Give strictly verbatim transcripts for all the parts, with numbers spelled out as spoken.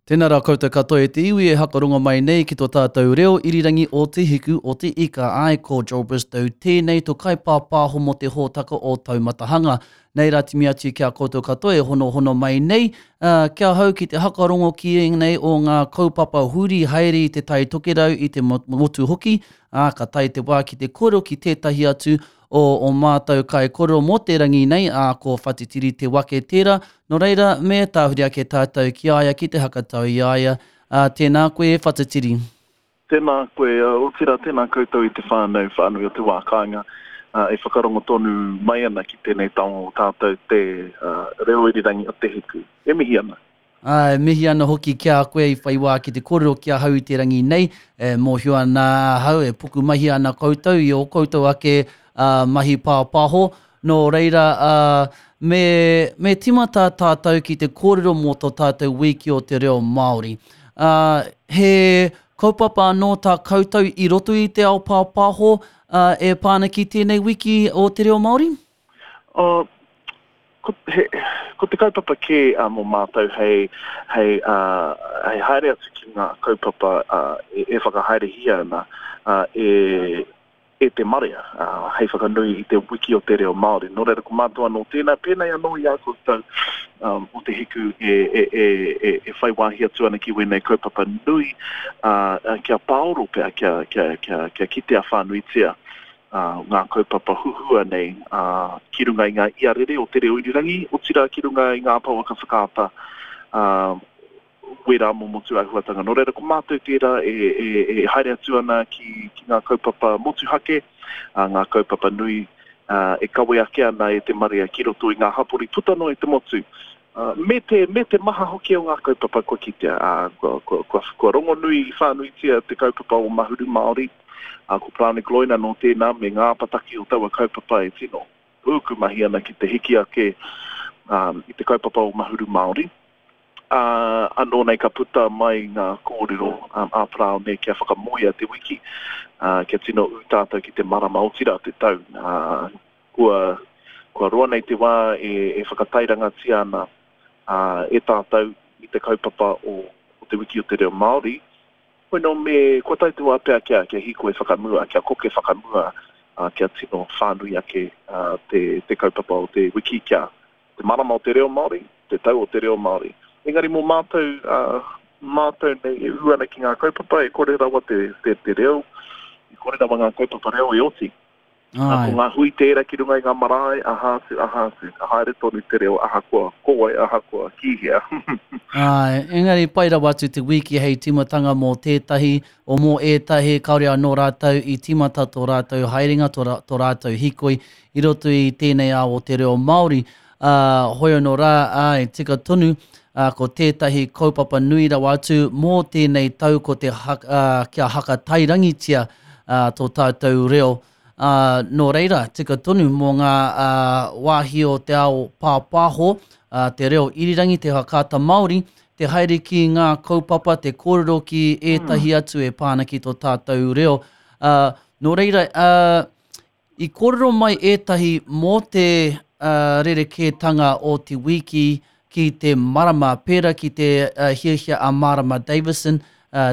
Tēnā rā koutou katoa e te iwi e hakarongo mai nei ki tō tātou reo irirangi o Te Hiku o Te Ika. Ai, ko Joel Bristow tēnei tō kaipāpāho mō te hōtaka o Taumatahanga. Nei rā timi atu ki a koutou katoa e honohono mai nei, uh, kia hau ki te hakarongo ki ēnei o ngā kaupapa huri haere i te Tai Tokerau, i te motu hoki, ā, ka tae te wā ki te kōrero ki tētahi atu o o mātou kaikōrero mō te rangi nei, ā, ko Whatitiri Te Wake tērā. Nō reira, me tāhuri ake tātou ki a ia ki te hakatau i a ia. Ā, tēnā koe e Whatitiri. Tēnā koe, otirā tēnā koutou i te whānau whānui o te wā kāinga e whakarongo tonu mai ana ki tēnei taonga o tātou te reo irirangi o Te Hiku. E mihi ana. Ā, e mihi ana hoki ki a koe i whai wā ki te kōrero ki ahau i te rangi nei, e mōhio ana ahau, e pukumahi ana koutou i ō koutou ake mahi pāpāho, nō reira, ā, me, me tīmata tātou ki te kōrero mō tō tātou wiki o te reo Māori. Ā, he kaupapa anō tā koutou i roto i te ao pāpāho, ā, e pā ana ki tēnei wiki o te reo Māori? Ā, Ko, he, ko te kaupapa kē uh, mō mātou hei, hei, uh, hei haere atu ki ngā kaupapa uh, e, e whakahaerehia ana uh, e, e te marea, uh, hei whakanui i te wiki o te reo Māori. Nō reira, ko mātou anō tēnā, pēnei anō i a koutou um, o Te Hiku e, e, e, e, e whai wāhi atu ana ki wēnei kaupapa nui, uh, kia pāoro pea, kia, kia, kia, kia kitea whānuitia ngā kaupapa huhua nei ki runga i ngā iarere o te reo irirangi, otirā ki runga i ngā pouaka whakaata wērā momo tūāhuatanga. Nō reira, ko mātou tērā e, e, e haere atu ana ki, ki ngā kaupapa motuhake, ngā kaupapa nui e kawe ake ana e te marea ki roto i ngā hapori puta noa i te motu. Me te, me te maha hoki o ngā kaupapa kua kitea, kua, kua, kua, kua rongonui whānuitia te kaupapa o Mahuru Māori, ā, ko Paraone Gloyne anō tēnā me ngā apataki o taua kaupapa e tino pūku mahi ana ki te hiki ake i te kaupapa o Mahuru Māori. Ā, anō nei ka puta mai ngā kōrero a Paraone kia whakamoea te wiki, ā, kia tino ū tātou ki te marama, otirā te tau. Ā, kua, kua roa nei te wā e, e whakatairangatia ana ā, e tātou i te kaupapa o, o te Wiki o te Reo Māori, Hoi nō me, kua tae te wā pea kia, kia hīkoi whakamua, kia koke whakamua, ā, kia tino whānui ake ā, te, te kaupapa o te wiki, kia te marama o te reo Māori, te tau o te reo Māori. Engari mō mātou, ā, mātou nei e ū ana ki ngā kaupapa, e kore rawa te, te, te reo, e kore rawa ngā kaupapa reo e oti. Ai. Ko ngā hui tērā ki runga i ngā marae, aha atu, aha atu, ka haere tonu te reo ahakoa ko wai, ahakoa ki hea. Āe, engari pai rawa atu te wiki hei tīmatanga mō tētahi, o mō ētahi kāore anō rātou i tīmata tō rātou haerenga, tō, tō rātou hīkoi i roto i tēnei ao o te reo Māori. Ā, hoi anō rā, āe, tika tonu, ā, ko tētahi kaupapa nui rawa atu mō tēnei tau ko te haka, ā, kia hakatairangitia, ā, tō tātou reo. Ā, nō reira, tika tonu mō ngā, ā, wāhi o te ao pāpāho, ā, te reo irirangi, te whakaata Māori, te haere ki ngā kaupapa, te kōrero ki ētahi atu e pā ana ki tō tātou reo. Ā, nō reira, ā, I kōrero mai ētahi mō te rerekētanga o te wiki ki te marama, pērā ki te hiahia a Marama Davison,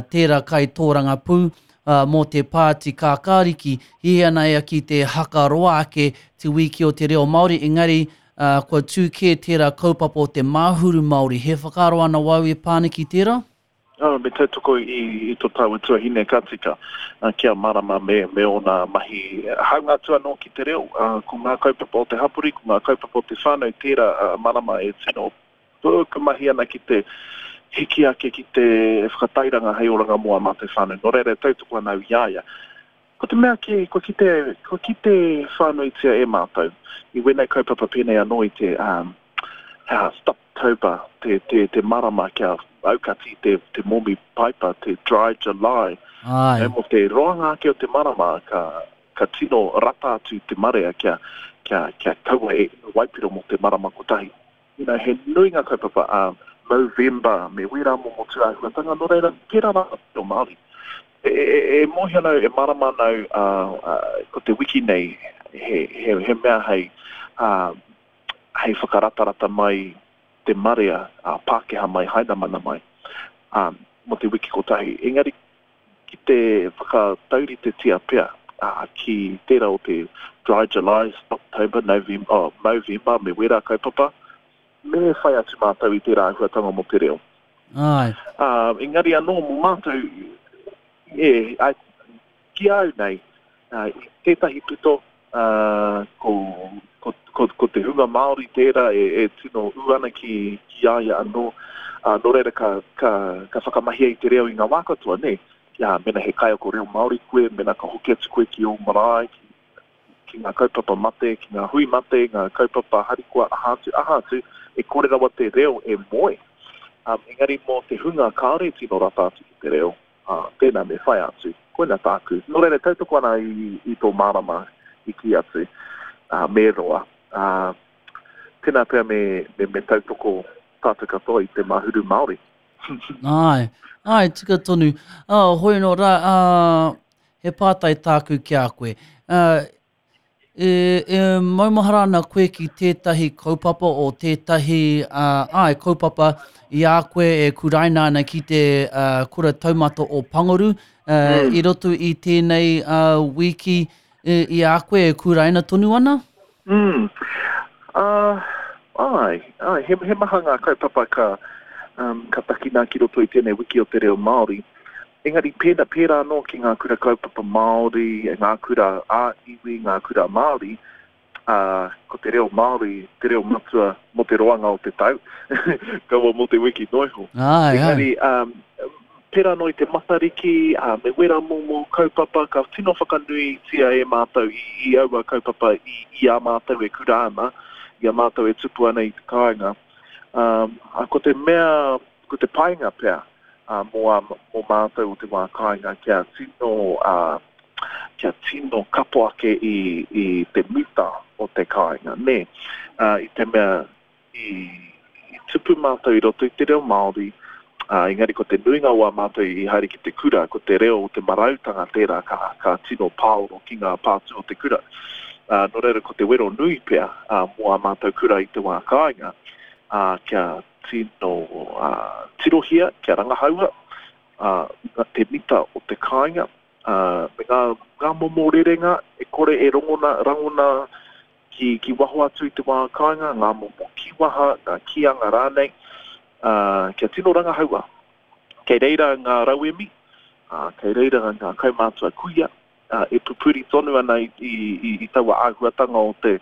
tērā kaitōrangapū mō te Pāti Kākāriki, hiahia ana ia ki te haka roa ake te wiki o te reo Māori, engari kua tū kē tērā kaupapa o te Māhuru Māori. He whakaaro ana wau e pā ana ki tērā? Oh, me tautoko i, i tō tāua tuahine ka tika, ki a Marama me, me ōna mahi hāunga atu anō ki te reo. Ko ngā kaupapa o te hapori, ko ngā kaupapa o te whānau tērā a Marama e tino pukumahi ana ki te hiki ake ki te whakatairanga hei oranga mō ā mātou whānau. Nō reira e tautoko ana au i a ia. Ko te mea kē, kua kite, kua kite whānuitia e mātou i wēnei kaupapa pēnei anō i te, um, he aha, Stoptober, te, te, te marama kia aukati te, te momi paipa, te dry July. Ai. E, mō te roanga ake o te marama, ka, ka tino rata atu te marea kia, kia, kia kaua e inu waipiro mō te marama kotahi. You know, he nui ngā kaupapa a Movember me wērā momo tūāhuatanga, nō reira, pērā rā te reo Māori. E, e, e mōhio ana au, e mārama ana au, ā, ā, ko te wiki nei he, he, he mea hei, ā, hei whakaratarata mai te marea, ā, Pākehā mai, Hainamana mai. Ā, um, mō te wiki kotahi. Engari ki te whakatauritetia pea uh, ki tērā o te Dry July, October, November, oh, Movember me wērā kaupapa, me whai atu mātou i tērā āhuatanga mō te reo. Ai. Uh, engari anō mō mātou, e, ai, ki au nei, uh, i tētahi pito, uh, ko, ko, ko, ko te hunga Māori tērā e, e tino ū ana ki, ki a ia anō, uh, nō reira ka, ka, ka whakamahia i te reo i ngā wā katoa, ne? Ja, mena he kaiako reo Māori koe, mena ka hoki atu koe ki ō marae, ki, ki ngā kaupapa mate, ki ngā hui mate, ngā kaupapa harikoa, aha atu, aha atu, e kore rawa te reo e moe. Um, engari mō te hunga kāore tino rata atu ki te reo, uh, tēnā me whai atu, koina tāku. Nō reira, tautoko ana i, i tō mārama i ki atu, uh, me roa. Uh, tēnā pea me, me, me tautoko tātou katoa i te Mahuru Māori. Ai, ai, tika tonu. Oh, hoi no rā, uh, he pātai tāku ki a koe. Uh, e, e maumahara ana koe ki tētahi kaupapa o tētahi, uh, ai, kaupapa i a koe e kuraina ana ki te uh, kura taumata o Panguru, uh, mm. i roto i tēnei uh, wiki e, i a koe e kuraina tonu ana? Mm. Uh, ai, ai, he, he maha ngā kaupapa ka, um, ka takina ki roto i tēnei wiki o te reo Māori. Engari pēnā, pērā anō ki ngā kura kaupapa Māori, ngā kura ā-iwi, ngā kura Māori, uh, ko te reo Māori, te reo matua mō te roanga o te tau, kaua mō te wiki noa iho. Ai, Engari, um, pērā anō i te Matariki, uh, me wera momo kaupapa, ka tino whakanuitia e mātou i, i aua kaupapa i, i a mātou e kura ana, i a mātou e tupu ana i te kāinga. Um, a ko te mea, ko te painga pea, uh, mō, a, mō mātou o te wā kāinga kia tino, uh, kia tino kapo ake i, i te mita o te kāinga, ne? Uh, i te mea, i, i tupu mātou i roto i te reo Māori, uh, engari ko te nuinga o a mātou i haere ki te kura, ko te reo o te marautanga tērā ka, ka tino pāoro ki ngā pātū o te kura. Uh, nō reira ko te wero nui pea uh, mō a mātou kura i te wā kāinga, uh, kia tino uh, tirohia, kia rangahaua uh, te mita o te kāinga, uh, me ngā, ngā momo rerenga e kore e rongona, rangona ki, ki waho atu i te wā kāinga, ngā momo kiwaha, ngā kīanga rānei, uh, kia tino rangahaua. Kei reira ngā rauemi, uh, kei reira ngā kaumātua kuia, uh, e pupuri tonu ana i, i, i, i taua āhuatanga o te,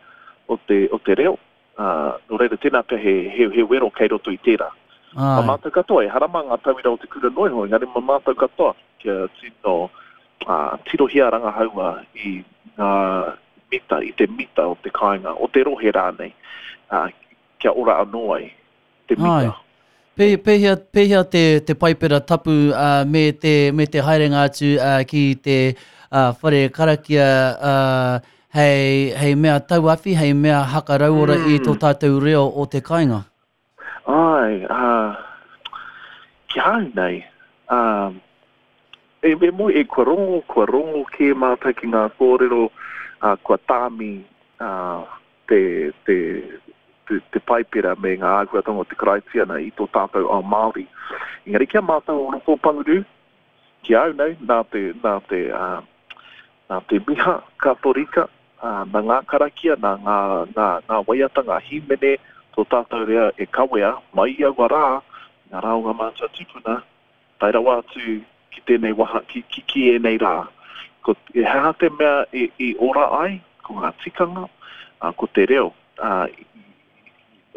o te, o te reo. Uh, nō reira tēnā pea he, he, he wero kei roto i tērā. Ai. Ma mātou katoa, e harama ngā tauira o te kura noa iho, engari ma mātou katoa kia tino uh, tirohia rangahaua i ngā mita, i te mita o te kāinga, o te rohe rānei, uh, kia ora anō ai te mita. Ai. Pē, pēhea, pēhea te, te paipera tapu uh, me, te, me te haerenga atu uh, ki te uh, whare karakia uh, hei, hei mea tauawhi, hei mea hakarauora mm. i tō tātou reo o te kāinga? Ai, uh, ki au nei, um, e, e moi, e kua rongo, kua rongo kē mātou ki ngā kōrero, uh, kua tāmi uh, te, te, te, te paipera me ngā āhuatanga o te Karaitiana i tō tātou ao Māori. Engari kia mātou o roto o Panguru, ki au nei, nā te, nā te, uh, nā te miha katorika, uh, nā ngā karakia, nā ngā, ngā, ngā waiata, ngā hīmene, tō tātou rea e kawea, mai i aua rā, ngā rā o ngā mātua tūpuna, tae rawa atu ki tēnei waha, ki, ki, ki ēnei rā. Ko, e hea te mea e, i ora ai, ko ngā tikanga, uh, ko te reo, uh,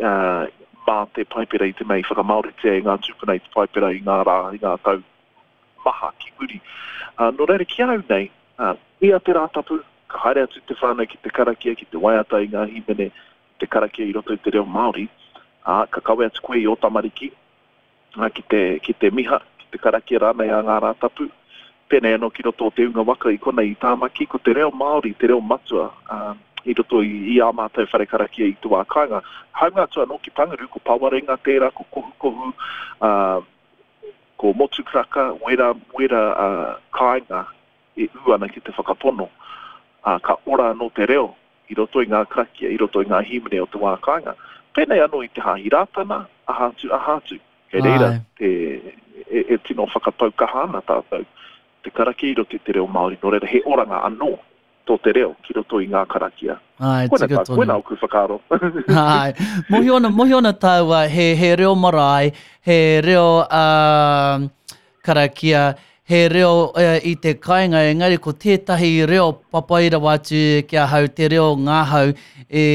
uh, mā te paipera i te mea i whakamāoritia e ngā tūpuna i te paipera i ngā rā, i ngā tau maha ki muri. Uh, nō reira ki au nei, uh, i a te Rātapu, ka haere atu te whānau ki te karakia, ki te waiata i ngā hīmene, te karakia i roto i te reo Māori, uh, ka kawe atu koe i ō tamariki, uh, ki te, ki te miha, ki te karakia rānei a ngā Rātapu. Pēnei anō ki roto o te unga waka i konei i Tāmaki, ko te reo Māori, te reo matua, uh, i roto i, i ā mātou whare karakia i te wā kāinga. Haunga atu anō ki Panguru, ko Pawarenga tērā, ko Kohukohu, uh, ko Motukaraka, wera, wera uh, kāinga e ū ana ki te whakapono. Uh, ka ora anō te reo i roto i ngā karakia, i roto i ngā hīmene o te wā kāinga. Pēnei anō i te Hāhi Rātana, aha atu, aha atu. Kei reira te, e, e tino whakapau kaha ana tātou te karakia i roto i te reo Māori, nō reira he oranga anō tō te reo ki roto i ngā karakia. Ai, Koina tika tā, tonu. koina oku whakaaro. Ai, mohio ana, mohio ana tāua, he, he reo marae, he reo uh, karakia, he reo uh, i te kāinga, engari ko tētahi reo papai rawa atu ki ahau, te reo ngāhau, e,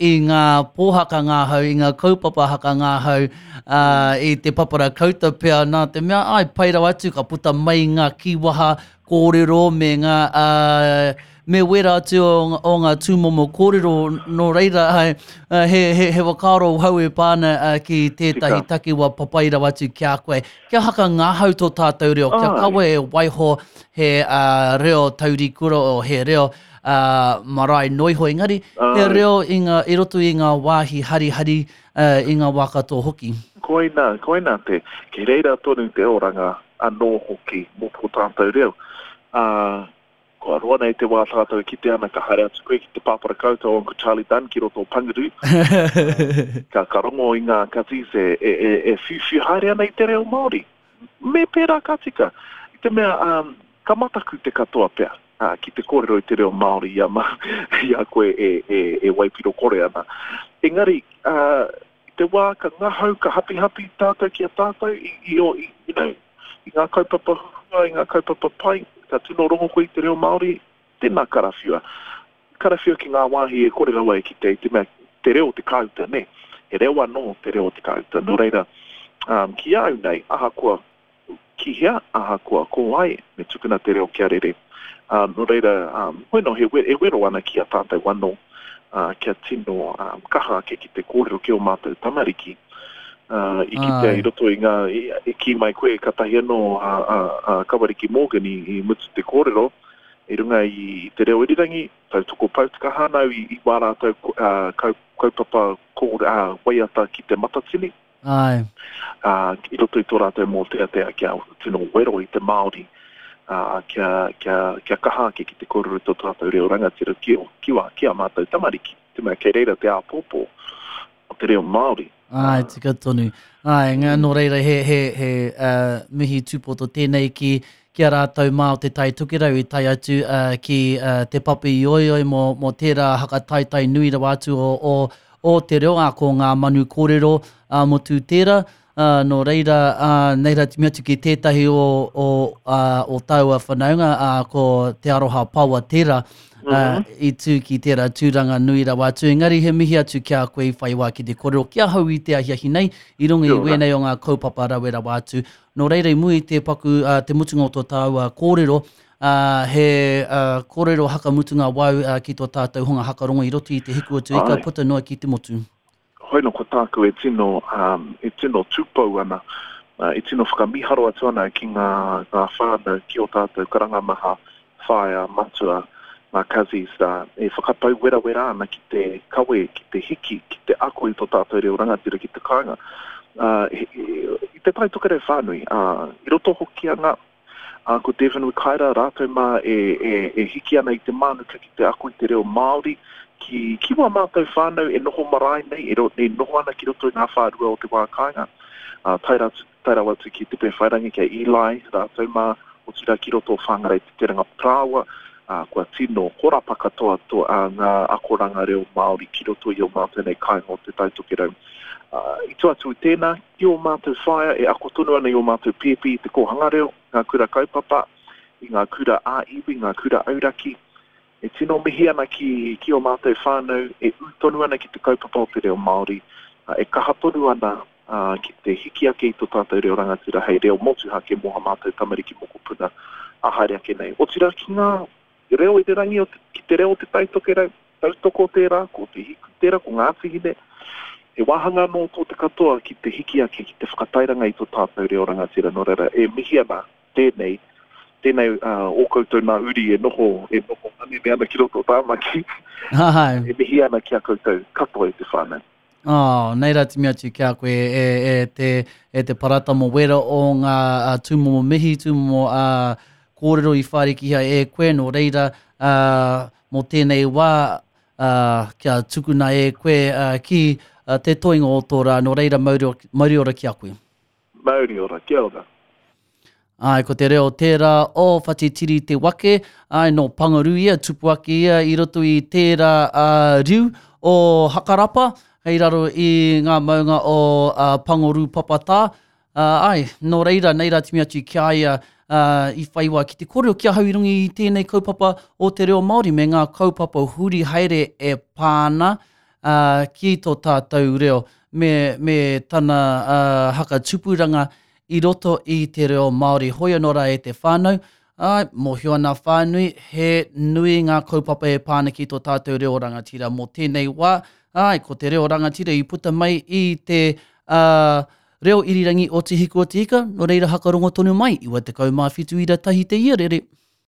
i ngā pōhaka ngāhau, i ngā kaupapa haka ngāhau, uh, i te papara kauta pea, nā te mea, ai, pai rawa atu, ka puta mai ngā kīwaha kōrero me ngā, uh, me wera atu o, o ngā tūmomo kōrero, nō reira, ai, uh, he, he, he whakaaro hau e pāna uh, ki tētahi Tika. takiwa papai rawa atu ki a koe. Kia haka ngāhau tō tātou reo, kia Ai. kawe e waiho he uh, reo taurikura o he reo uh, marae noiho, engari he Ai. reo i, ngā, i roto i ngā wāhi harihari uh, i ngā wā katoa hoki. Koina, koina te, ki reira tonu te oranga anō hoki mō tō tātou reo. Uh, kua roa nei te wā tātou e kite ana ka haere atu koe ki te pāpara kauta o Uncle Charlie Dunn ki roto o Panguru, ka, ka rongo i ngā katis e, e, e, e whiuwhiu haere ana i te reo Māori. Me pērā ka tika. I te mea, um, ka mataku te katoa pea, uh, ki te kōrero i te reo Māori i a, ma, i a koe e, e, e waipiro kore ana. Engari, uh, i te wā ka ngahau, ka hapihapi tātou ki a tātou i, i, o, i, you know, i ngā kaupapa huhua, i ngā kaupapa pai, ka tino rongo koe i te reo Māori, tēnā karawhiua. Karawhiua ki ngā wāhi e kore rawa e ki te, te mea, te reo o te kāuta, ne? He reo anō te reo o te kāuta. Nō reira, um, ki au nei, ahakoa ki hea, ahakoa ko ai, me tukuna te reo kia rere. Uh, nō reira, um, hoino he, we- e wero ana ki a tātou anō, uh, kia tino um, kaha ake ki te kōrero ki o mātou tamariki. Uh, i kitea Ai. i roto i ngā, i, i kī mai koe katahi anō a, a, a Kawariki Morgan i, i mutu te kōrero i runga i te reo irirangi, tautoko pautuka hānau i, i wā rātou uh, kau, kaupapa kō, uh, waiata ki te matatini, Ai. uh, i roto i tō rātou mōteatea kia tino wero i te Māori, uh, kia, kia, kia kaha ake ki te kōrero i tō tātou reo rangatira ki, o- ki, wā, ki a mātou tamariki. Te mea kei reira te āpōpō o te reo Māori. Ai, tika tonu. Ai, ngā, nō reira, he, he, he uh, mihi tūpoto tēnei ki, ki a rātou mā o te Tai Tokerau i tae atu uh, ki uh, te papi ioioi mō, mō tērā hakataitai nui rawa atu o, o, o te reo, ā, ko ngā manu kōrero uh, motu tērā. Uh, nō reira, uh, nei rā te mea atu ki tētahi o, o, uh, o taua whanaunga, uh, ko Te Aroha Pawa tērā, uh, i tū ki tērā tūranga nui rawa atu. Engari he mihi atu ki a koe i whai wā ki te kōrero ki ahau i te ahiahi nei, i runga i Kia ora. wēnei o ngā kaupapa rawe rawa atu. Nō reira i mua i te paku, uh, te mutunga o tō tāua kōrero, uh, he uh, kōrero hakamutunga wau uh, ki tō tātou hunga hakarongo i roto i te hiku o te ika Ai. puta noa ki te motu. Hoino ko tāku e tino, um, e tino tūpou ana, uh, e tino whakamiharo atu ana ki ngā, ngā whānau, ki o tātou karangamaha, whaea, matua, ngā cousins, uh, e whakapau werawera ana ki te kawe, ki te hiki, ki te ako i tō tātou reo rangatira ki te kāinga. Uh, e, e, i te Tai Tokerau whānui, uh, i roto hoki anga, uh, ko Devon Wikaira rātou mā e, e, e hiki ana i te mānuka ki te ako i te reo Māori, ki, ki wā mātou whānau e noho marae nei, e, ro, e noho ana ki roto i ngā whārua o te wā kāinga. Uh, tae ratu, tae rawa atu ki Te Pēwhairangi, ki a Eli, rātou mā, otirā ki roto o Whangarei te Teranga Parāoa, uh, kua tino horapa katoa tō, uh, ngā akoranga reo Māori ki roto i o mātou nei kāinga o te Tai Tokerau. Uh, i tua atu i tēnā, ki o mātou whaea e ako tonu ana i o mātou pēpi i te kōhanga reo, ngā kura kaupapa, i ngā kura ā-iwi, ngā kura auraki. E tino mihi ana ki, ki o mātou whānau, e ū tonu ana ki te kaupapa o te reo Māori, uh, e kaha tonu ana uh, ki te hiki ake i tō tātou reo rangatira hei reo motuhake mō ha mātou tamariki mokopuna a haere ake nei. Otirā ki ngā reo i te rangi o te, ki te reo o te Tai Tokerau, tautoko tērā, ko te hiku tērā, ko Ngāti Hine. He wāhanga anō tō te katoa ki te hiki ake, ki te whakatairanga i tō tātou reo rangatira. Nō reira, e mihi ana tēnei, tēnei uh, o koutou nā uri e noho, e noho manene ana ki roto o Tāmaki. Ai. E mihi ana ki a koutou katoa i te whānau. Oh, nei rā te mea atu ki a koe e, e, te, e te parata mō wera o ngā uh, tūmomo mihi, tūmomo uh, kōrero i whārikihia e koe, nō reira uh, mō tēnei wā uh, kia tukuna e koe uh, ki uh, te toinga o tō rā, nō reira mauri, mauri ora ki a koe. Mauri ora, kia ora. Āe, ko te reo tērā o Whatitiri Te Wake, āe, nō Pangaru ia, tupu ake ia i roto i tērā uh, riu o Hakarapa, hei raro i ngā maunga o uh, Pangoru Papatā. Uh, āe, nō reira, nei rā timi atu ki a ia uh, i whai wā ki te kōrero ki ahau i runga i tēnei kaupapa o te reo Māori me ngā kaupapa huri haere e pā ana uh, ki tō tātou reo me, me tana uh, hakatupuranga i roto i te reo Māori. Hoi anō rā e te whānau, āe, mōhio ana whānui, he nui ngā kaupapa e pā ana ki tō tātou reo rangatira mō tēnei wā. Āe, ko te reo rangatira i puta mai i te uh, reo irirangi o Te Hiku o Te Ika, nō reira hakarongo tonu mai, iwa tekau mā whitu ira tahi te iarere.